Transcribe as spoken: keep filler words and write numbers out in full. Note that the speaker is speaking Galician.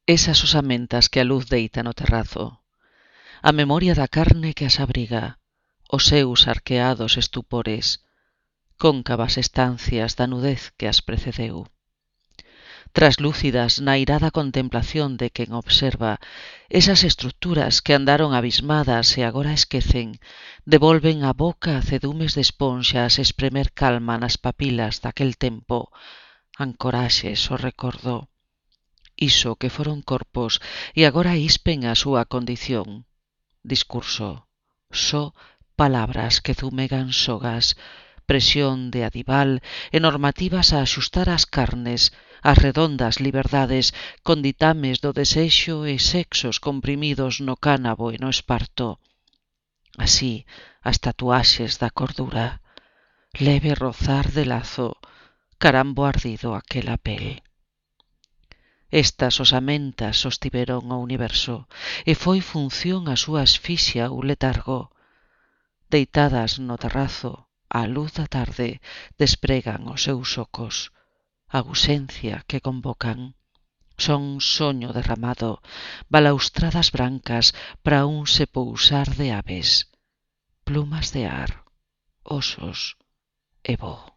Esas osamentas que a luz deita no terrazo, a memoria da carne que as abriga, os seus arqueados estupores, cóncavas estancias da nudez que as precedeu. Traslúcidas na irada contemplación de quen observa, esas estruturas que andaron abismadas e agora esquecen, devolven á boca cedumes de esponxas espremer calma nas papilas daquel tempo, ancoraxes o recordo. Iso que foron corpos e agora ispen a súa condición. Discurso, só palabras que zumegan sogas, presión de adival e normativas a axustar as carnes, as redondas liberdades con ditames do desexo e sexos comprimidos no cánabo e no esparto. Así, as tatuaxes da cordura, leve rozar de lazo, carambo ardido aquela pel. Estas osamentas sostiveron o universo, e foi función a súa asfixia ou letargo. Deitadas no terrazo, á luz da tarde, despregan os seus ocos, a ausencia que convocan. Son soño derramado, balaustradas brancas para un se pousar de aves, plumas de ar, osos e voo.